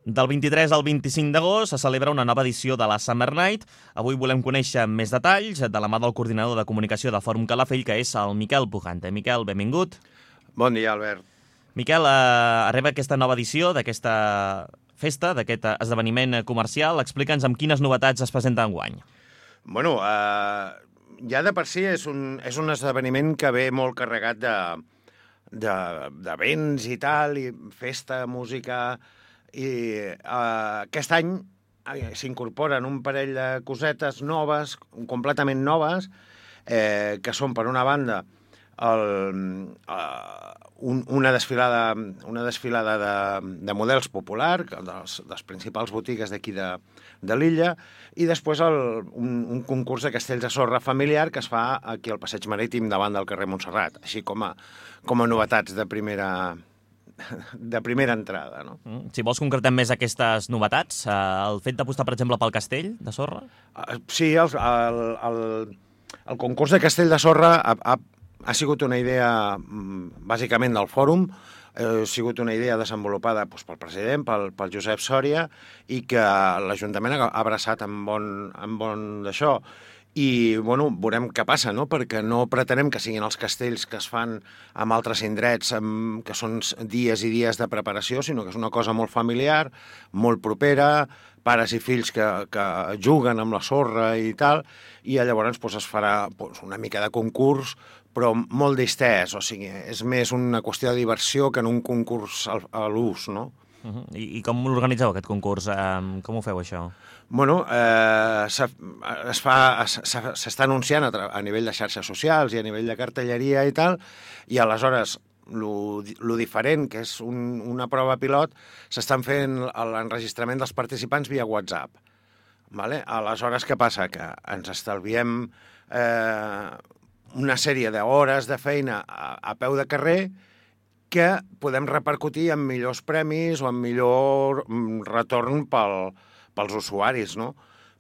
Del 23 al 25 d'agost se celebra una nova edició de la Summer Night. Avui volem conèixer més detalls de la mà del coordinador de comunicació de Fòrum Calafell, que és el Miquel Pujante. Miquel, benvingut. Bon dia, Albert. Miquel, arriba aquesta nova edició d'aquesta festa, d'aquest esdeveniment comercial. Explica'ns amb quines novetats es presenta enguany. Bueno, ja de per si és un esdeveniment que ve molt carregat d'events i tal, i festa, música. I aquest any s'incorporen un parell de cosetes noves, completament noves, que són, per una banda, una desfilada de models popular, dels principals botigues d'aquí de l'illa, i després un concurs de castells de sorra familiar que es fa aquí al Passeig Marítim davant del carrer Montserrat, així com a novetats de primera entrada, no? Si vols concretar més aquestes novetats, el fet d'apostar, per exemple, pel castell de sorra? Sí, el concurs de castell de sorra ha sigut una idea bàsicament del fòrum, ha sigut una idea desenvolupada pel president, pel Josep Sòria, i que l'Ajuntament ha abraçat amb bon d'això. I, bueno, veurem què passa, no? Perquè no pretenem que siguin els castells que es fan en altres indrets, que són dies i dies de preparació, sinó que és una cosa molt familiar, molt propera, pares i fills que juguen amb la sorra i tal, i llavors es farà una mica de concurs, però molt distès, o sigui, és més una qüestió de diversió que en un concurs a l'ús, no? I com l'organitzeu, aquest concurs? Com ho feu, això? Bueno, s'està anunciant a nivell de xarxes socials i a nivell de cartelleria i tal, i aleshores lo diferent, que és una prova pilot, s'estan fent l'enregistrament dels participants via WhatsApp. Vale? Aleshores, què passa? Que ens estalviem una sèrie d'hores de feina a peu de carrer que podem repercutir en millors premis o en millor retorn pels usuaris, no?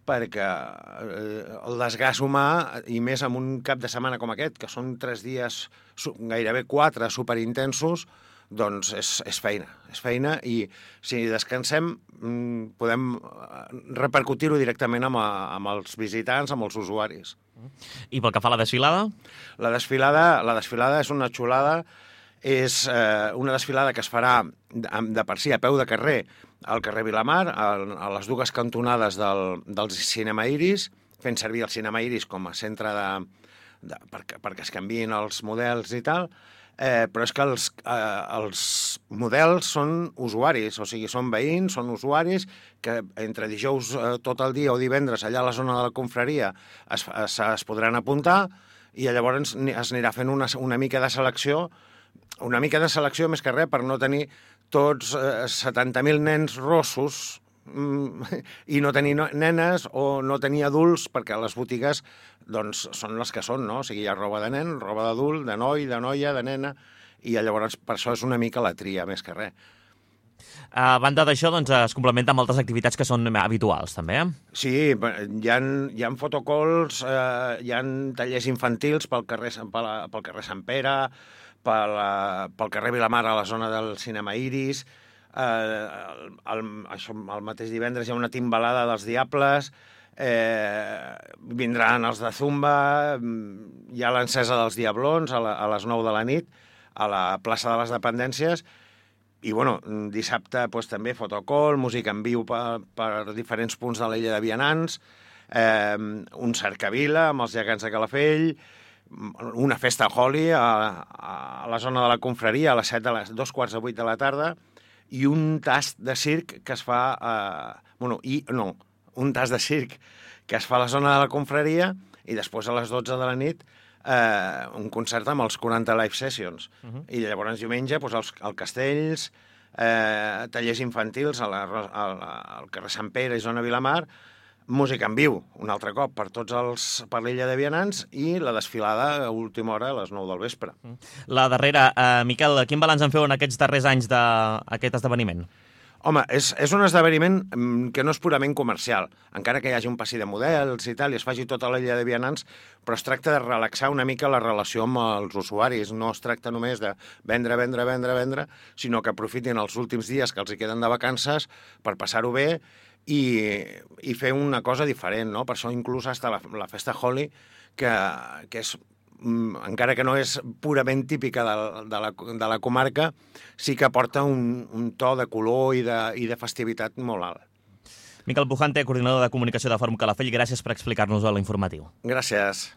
Perquè el desgast humà, i més en un cap de setmana com aquest, que són 3 dies, gairebé 4, superintensos, doncs és feina, i si descansem podem repercutir-ho directament amb els visitants, amb els usuaris. I pel que fa a la desfilada? La desfilada és una xulada. És una desfilada que es farà de per si a peu de carrer al carrer Vilamar, a les dues cantonades del Cinema Iris, fent servir el Cinema Iris com a centre perquè es canviïn els models i tal, però és que els models són usuaris, o sigui, són veïns, són usuaris que entre dijous tot el dia o divendres allà a la zona de la confraria es podran apuntar, i llavors es anirà fent una mica de selecció més que res per no tenir tots 70.000 nens rossos i no tenir nenes o no tenir adults, perquè les botigues doncs, són les que són, no? O sigui, hi ha roba de nen, roba d'adult, de noi, de noia, de nena, i llavors per això és una mica la tria, més que res. A banda d'això, doncs, es complementa amb altres activitats que són habituals, també, Sí, hi ha fotocalls, hi ha tallers infantils pel carrer Sant Pere, pel carrer Vilamar a la zona del Cinema Iris, el mateix divendres hi ha una timbalada dels Diables, vindran els de Zumba, hi ha l'encesa dels Diablons a les 9 de la nit a la plaça de les Dependències, i bueno, dissabte també fotocall, música en viu per diferents punts de l'illa de Vianants, un cercavila amb els gegants de Calafell, una festa Holi a la zona de la confraria a les 2:45 de la tarda, i un tast de circ que es fa un tast de circ que es fa a la zona de la confraria, i després a les 12 de la nit un concert amb els 40 live sessions. I llavors diumenge els castells, tallers infantils al carrer Sant Pere i zona Vilamar, música en viu, un altre cop, per l'illa de Vianants, i la desfilada a última hora a les 9 del vespre. La darrera, Miquel, quin balanç en feu en aquests darrers anys d'aquest esdeveniment? Home, és un esdeveniment que no és purament comercial, encara que hi hagi un passi de models i tal, i es faci tota la illa de vianants, però es tracta de relaxar una mica la relació amb els usuaris. No es tracta només de vendre, sinó que aprofitin els últims dies que els hi queden de vacances per passar-ho bé i fer una cosa diferent, no? Per això inclús hasta la festa Holi, que és, encara que no és purament típica de la comarca, sí que aporta un to de color i de festivitat molt alt. Miquel Pujante, coordinador de comunicació de Fòrum Calafell, gràcies per explicar-nos-ho a l'informatiu. Gràcies.